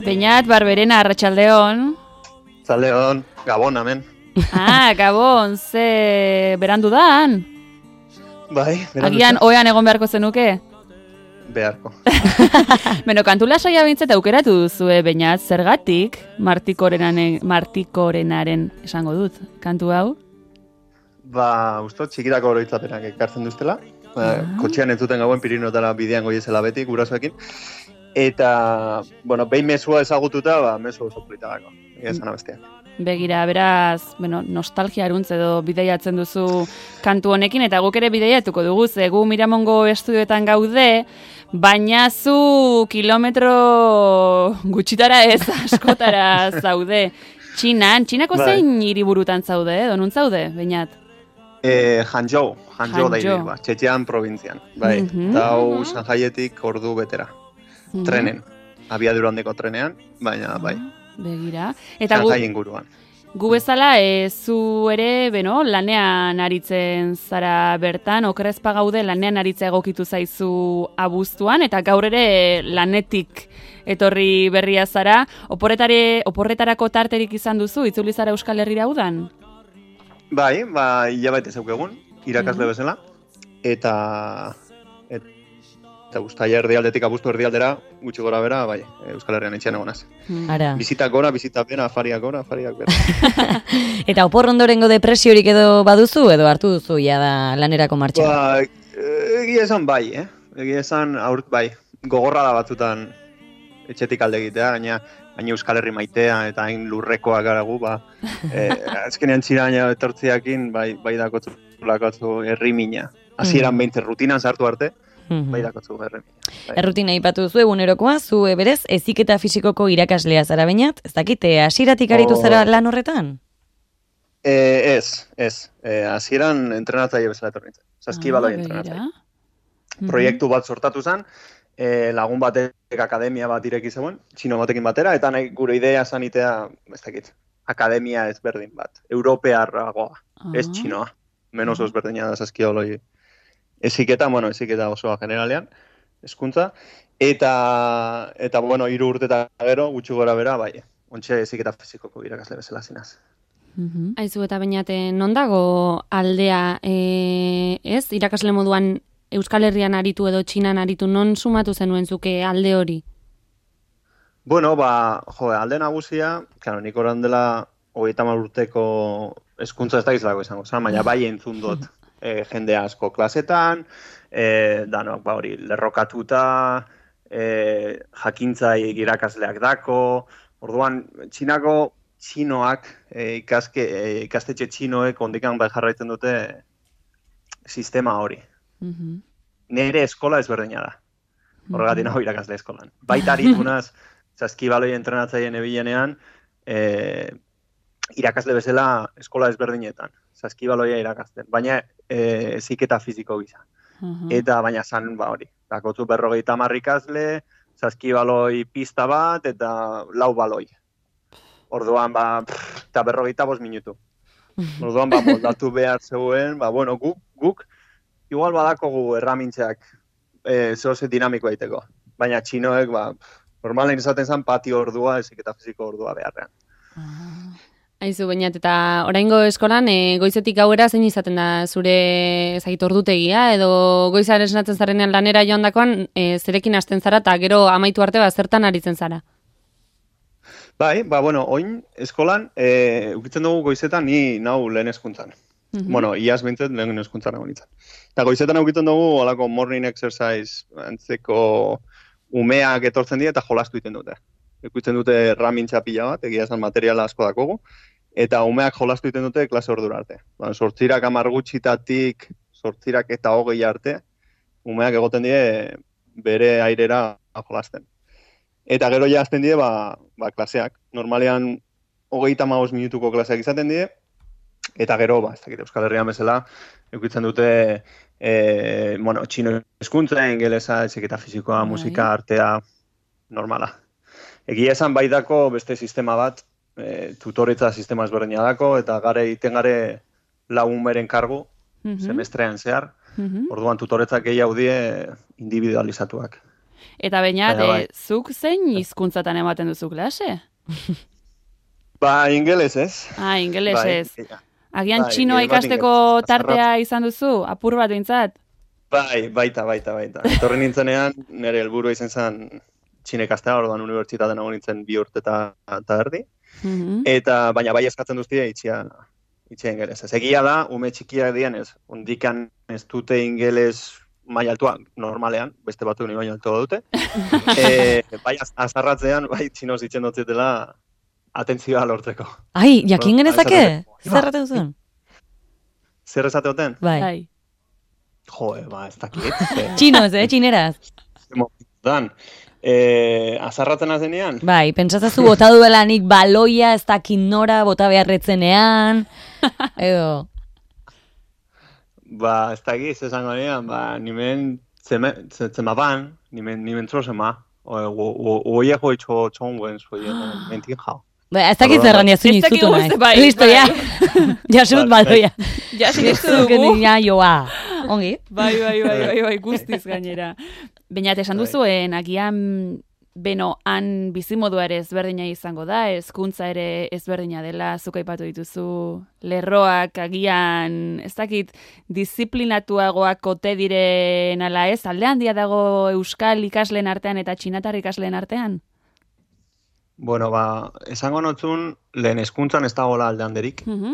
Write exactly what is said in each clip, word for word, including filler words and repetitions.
Beñat, Barberena, Arratsaldeon. Arratsaldeon, Gabon, amen. Ah, Gabon, ze berandu dan? Bai, berandu. Agian oean egon beharko zenuke? Beharko. Beno, kantu lasaia bintzet aukeratu duzue, Beñat, zergatik Martikorenaren, Martikorenaren esango dut, kantu hau? Ba, usto, txikirako oroitzapenak ekartzen duztela. Ah. Kotxean entzuten gauen Pirinotara bidean goiezela beti, gurasoekin. Eta, bueno, behin mesua ezagututa, ba, mesu oso polita dago. Esan abestiak. Begira, beraz, bueno, nostalgia aruntz edo bideiatzen duzu kantu honekin, eta guk ere bideiatuko dugu, ze gu Miramongo estudioetan gaude, baina zu kilometro gutxitara ez, askotara zaude. Txinan, Txinako bai. Zein hiriburutan zaude, edo nun zaude, Beñat? Eh, Hangzhou, Hangzhou da Hangzhou. hiri, ba, Txetxean probintzian. Bai, Mhm. eta hau Shanhaietik ordu betera. Mhm. Trenen, abiadura handeko trenean, baina bai, Begira. Eta gu, Shanghai inguruan. gu bezala, e, zu ere, beno, lanean aritzen zara bertan, okerrezpa gaude lanean aritza egokitu zaizu abuztuan, eta gaur ere lanetik etorri berria zara. Oporretare, oporretarako tarterik izan duzu, itzuli zara Euskal Herrira udan? Bai, ba, hilabete zeukegun, irakasle bezala, eta eta uztaila erdialdetik abuztu erdialdera, gutxi gora bera, bai, Euskal Herrian etxean egonaz. Ara. Bizitak gora, bizitak bera, afariak gora, afariak bera. Eta opor ondorengo depresiorik edo baduzu, edo hartu duzu ja da lanerako martxa? Ba, egia esan bai, eh? Egia esan aurt bai, gogorra da batzutan etxetik alde egitea, gaina baina Euskal Herri maitea eta hain lurrekoak gara gu, ba, eh, azkenean txiraina etortziakin, bai, bai dakotzu lakotzu herri mina. Hasieran behintzen rutinan sartu arte, bai dakotzu herri mina. Bai. Errutina ipatu zu egunerokoa, zu e, berez, heziketa fisikoko irakaslea zara Beñat, ez dakite, hasieratik aritu Oh. zara lan horretan? Eh, ez, ez. Eh, hasieran entrenatzaile bezala etorri nintzen. Saskibaloi Ah, entrenatzaile. begira. Proiektu bat sortatu zen, eh, lagun batek akademia bat ireki zegoen, txino batekin batera, eta nahi gure idea zanitea, ez dakit, akademia ezberdin bat, europearragoa, Ah. ez txinoa, menos ezberdina da saskibaloi. Eziketa, bueno, eziketa osoa generalean, hezkuntza, eta, eta bueno, hiru urte eta gero, gutxi gora bera, bai, ontxe eziketa fizikoko irakasle bezala zinaz. Mhm. Aizu eta Beñate, non dago aldea, e, ez, irakasle moduan Euskal Herrian aritu edo Txinan aritu, non sumatu zenuen zuke alde hori? Bueno, ba, jo, alde nagusia, claro, nik oran dela hogeita hamar urteko hezkuntza ez da izango izango, zan, baina bai entzun dut e, jende asko klasetan, e, danok, ba hori, lerrokatuta, e, jakintzai irakasleak dako, orduan, Txinako txinoak, e, ikaske, e, ikastetxe txinoek ondikan bai jarraitzen dute sistema hori. Mhm. Nere eskola ezberdina da. Horregatik nago irakasle eskolan. Baita aritunaz, saskibaloi entrenatzaien ebilenean, e, irakasle bezala eskola ezberdinetan. Saskibaloia irakasten. Baina e, heziketa fisiko gisa. Mhm. Eta baina zan, ba hori. Dakotzu berrogeita hamar ikasle, saskibaloi pista bat, eta lau baloi. Orduan, ba, pff, eta berrogeita bost minutu. Orduan, ba, moldatu behar zegoen, ba, bueno, guk, guk, igual badakogu erramintzeak e, zoze dinamiko daiteko. Baina txinoek, ba, normalen izaten zen patio ordua, heziketa fisiko ordua beharrean. Aizu Beñat, eta oraingo eskolan, e, goizetik gauera zein izaten da zure ezagit ordutegia, edo goizaren esnatzen zarenean lanera joandakoan, e, zerekin hasten zara, eta gero amaitu arte bat zertan aritzen zara? Bai, ba, bueno, oin eskolan, e, ukitzen dugu goizetan ni nau lehen hezkuntzan. Bueno, iaz bintzen lehen hezkuntzan nago nintzen. Eta goizetan ukitzen dugu holako morning exercise antzeko umeak etortzen dira eta jolastu egiten dute. Ikusten dute erramintza pila bat, egia esan materiala asko dakogu, eta umeak jolastu egiten dute klase ordura arte. Ba, sortzirak hamar gutxitatik, sortzirak eta hogei arte, umeak egoten die bere airera jolasten. Eta gero ja azten die, ba, ba klaseak. Normalean hogeita hamabost minutuko klaseak izaten die, eta gero, ba, ez dakit Euskal Herrian bezala, eukitzen dute, e, bueno, txino hezkuntza, ingelesa, heziketa fisikoa, musika, artea, normala. Egia esan bai dako beste sistema bat, e, tutoretza sistema ezberdina dako, eta gare iten gare lagunberen kargu, semestrean zehar, orduan tutoretzak gehiago die individualizatuak. Eta baina, Baina bai. zuk zein hizkuntzatan ematen duzu klase? Ba, ingeles ez. Ah, ingeles Bai, ez. ja. Agian Bai, txinoa gehienbat ikasteko ingeles. tartea izan duzu, apur bat behintzat? Bai, baita, baita, baita. Etorri nintzenean, nire helburua izan zen txine ikastea, orduan unibertsitaten nago nintzen bi urte eta, eta erdi. Mhm. Eta, baina bai eskatzen duztia itxia, itxia ingeles. Ez egia da, ume txikiak dian ez, ondikan ez dute ingeles maila altua, normalean, beste batu ni baina altua dute. e, bai, az- azarratzean, bai, txinoz ditzen dutzetela atentzioa lortzeko. Ai, jakin Ba, genezake? esateko. Zer erraten zuen? Zer esate duten? Bai. Bai. Jo, ba, ez dakit. ze- Txinoz, eh, txineraz. ze momentutan. E, azarratzen azenean? Bai, pentsazazu bota duela nik baloia, ez dakit nora, bota beharretzenean, edo... Ba, ez dakit, ez esango nian, ba, nimen zeme- ze- zemaban, nimen, nimen trozema, o, o, o, o ia hoi txo txonguen, zoi, mentin jau. Ba, ez dakit Orduan, zerran jazu Ez dakigu nizutu nahi. ze bai, Listo, bai. ja. Jasut Bai, baloia. Ja, sinistu Zuken dugu. ja joa. Ongi? Bai, bai, bai, bai, bai, guztiz gainera. Baina, esan Bai. duzuen, agian, beno, han bizimodua ere ezberdina izango da, hezkuntza ere ezberdina dela, zuk aipatu dituzu, lerroak agian, ez dakit, disiplinatuagoak ote diren ala ez, alde handia dago euskal ikasleen artean eta txinatar ikasleen artean? Bueno, ba, esango notzun, lehen hezkuntzan ez dagoela alde handerik. Mhm.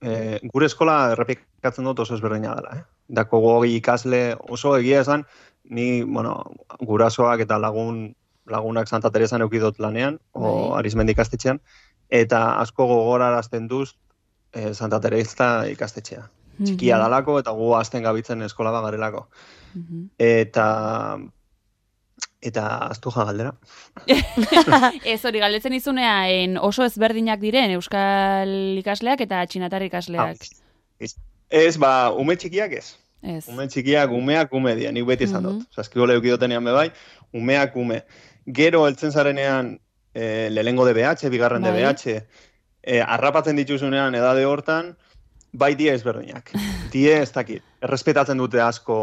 E, gure eskola errepikatzen dut oso ezberdina dela, eh? Dako gogi ikasle oso egia esan, ni, bueno, gurasoak eta lagun lagunak Santa Teresan eukidot lanean, o Bai. Arizmendi ikastetxean, eta asko gogorarazten duz e, Santa Teresa ikastetxea. Txikia Mhm. dalako eta gu azten gabitzen eskola bat garelako. Mhm. Eta eta aztu ja galdera. Ez hori, galdetzen izunean oso ezberdinak diren euskal ikasleak eta txinatar ikasleak. Ez, ez, ba, ume txikiak ez. Ez. Ume txikiak, umeak ume dira, nik beti esan dut. Mhm. Zaskigole eukidotenean bebai, umeak ume. Gero heltzen zarenean e, lehengo D B H, bigarren Bai. D B H, e, arrapatzen dituzunean edade hortan, bai die ezberdinak. Die ez dakit, errespetatzen dute asko,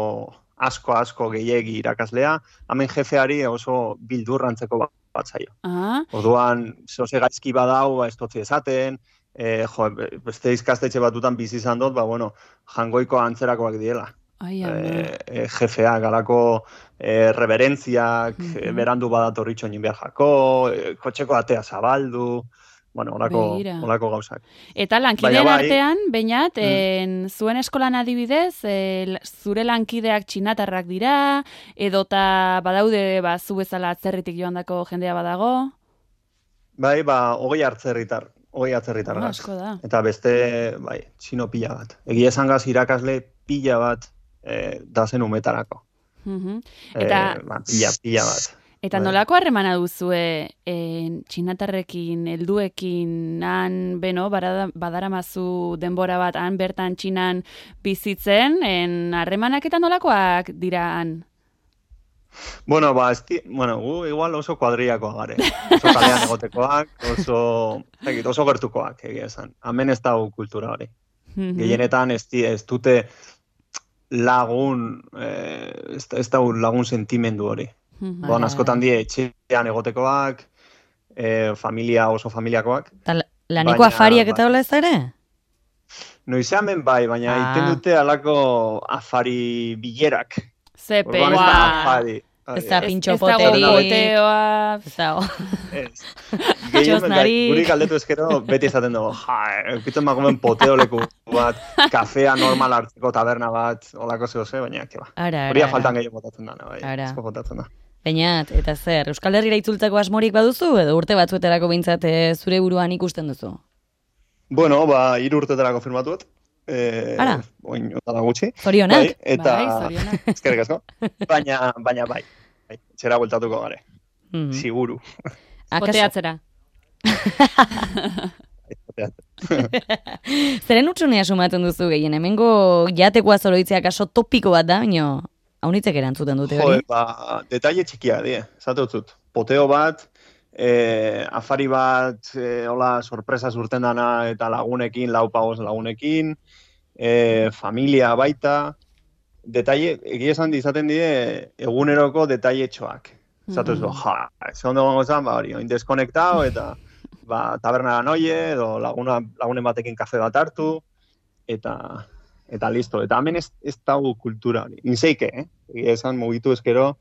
asko, asko gehiegi irakaslea, hemen jefeari oso bildurrantzeko bat, bat zaio. Ah, Orduan, zoze gaizki badau, ba, ez dotzi esaten, e, jo, beste ikastetxe batutan bizi izan dut, ba, bueno, jangoiko antzerakoak diela. ai, ama. E, e, jefeak, alako e, reverentziak, Mhm. e, berandu badatorritxo egin behar jako, e, kotxeko atea zabaldu, bueno, olako, Begira. olako gauzak. Eta lankideen Baina bai. artean, bainat, en, zuen eskolan adibidez, e, l- zure lankideak txinatarrak dira, edota badaude, ba, zu bezala atzerritik joandako jendea badago? Bai, ba, hogei hartzerritar, hogei atzerritar Ah, gaz. asko da. Eta beste, bai, txino pila bat. Egia esan gaz irakasle pila bat e, da zen umetarako. Mhm. E, Eta, ba, pila, pila bat. eta bai. nolako harremana duzue en, txinatarrekin, helduekin, han, beno, barada- badaramazu denbora bat, han bertan txinan bizitzen, en, harremanak eta nolakoak dira han? Bueno, ba, esti, bueno, gu igual oso kuadriakoa gare. Oso kalean egotekoak, oso, ez dakit, oso gertukoak, egia esan. Hemen ez dago kultura hori. Mhm. Gehienetan ez, di- ez dute lagun, eh, ez, ez dago lagun sentimendu hori. Mhm. Doan Bai. askotan die etxean egotekoak, eh, familia oso familiakoak. Eta la- laneko Baina, afariak eta bai. hola ez da ere? Noizean ben bai, baina Ah. iten dute alako afari bilerak. Zepe, Orduan ez da afari. Ez da Ez- pintxo ez dago poteri. poteoa. Ez dago. Ez. Gehien, Txosnarik. guri galdetu ezkero, beti esaten dugu, ja, eukitzen magomen poteoleku bat, kafea normal hartzeko taberna bat, olako zehose, baina, keba. Ara, Horia ara, faltan ara. gehiago botatzen da, bai, Ara. asko botatzen da. Bainat, eta zer, Euskal Herrira itzultzeko asmorik baduzu, edo urte batzuetarako behintzat eh, zure buruan ikusten duzu? Bueno, ba, hiru urtetarako firmatuet. Eh, Ara. Oin, otara gutxi. Zorionak? Bai, eta, Bai, zorionak. eskerrik asko. Baina, baina bai, bai, txera bueltatuko gare, Mhm. siguru. Akaso- Poteatzera. Zeren utxunea sumatzen duzu gehien, hemengo jatekoa zoroitzea kaso topiko bat da, baina haunitzek erantzuten dute Jo, hori. ba, detaile txikia, die, esate utzut. Poteo bat, eh, afari bat, eh, hola, sorpresa urten dana eta lagunekin, lau pagoz lagunekin, eh, familia baita, detaile, egia esan izaten die, eguneroko detailetxoak. Zatu ez, ja, ez ondo gongo zan, ba, hori, oin deskonektao, eta ba, tabernara noie, edo laguna, lagunen batekin kafe bat hartu, eta eta listo. Eta hemen ez, ez dago kultura hori. Inzeike, eh? Egia esan mugitu ezkero,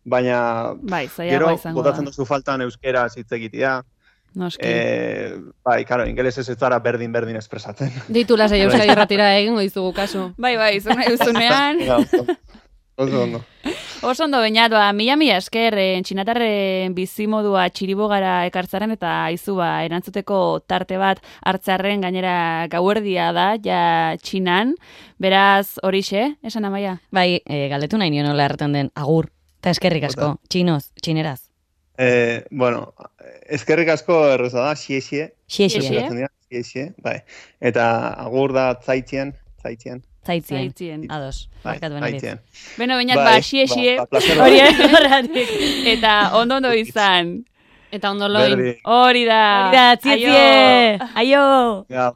baina bai, gero izango botatzen da. duzu faltan euskera hitz egitea. Noski. Eh, bai, claro, ingelesez ez zara berdin-berdin espresatzen. Deitu lasai Euskadi Irratira egingo dizugu kasu. Bai, bai, izan euzunean. Oso ondo. Oso ondo bainat, ba, mila mila esker, eh, txinatarren bizimodua txiribogara ekartzaren eta aizu ba, erantzuteko tarte bat hartzarren gainera gauerdia da, ja txinan. Beraz, horixe, esan Amaia? Bai, e, galdetu nahi nion nola erraten den agur, eta eskerrik asko, txinoz, txineraz. Eh, bueno, eskerrik asko erreza da, xie xie. Xie xie. Xie. Xie xie, bai. Eta agur da zaitzien, zaitzien. Zaitzien. Zaitzien. Ados, Bai, barkatu benaritz. zaitzien. Beno, bainat, Bai, ba, xie, xie, ba, placer bat. hori horretik. Eta ondo ondo izan. Eta ondo loin. Berdi. Hori da. Hori da, tzie, tzie. Aio. Ja.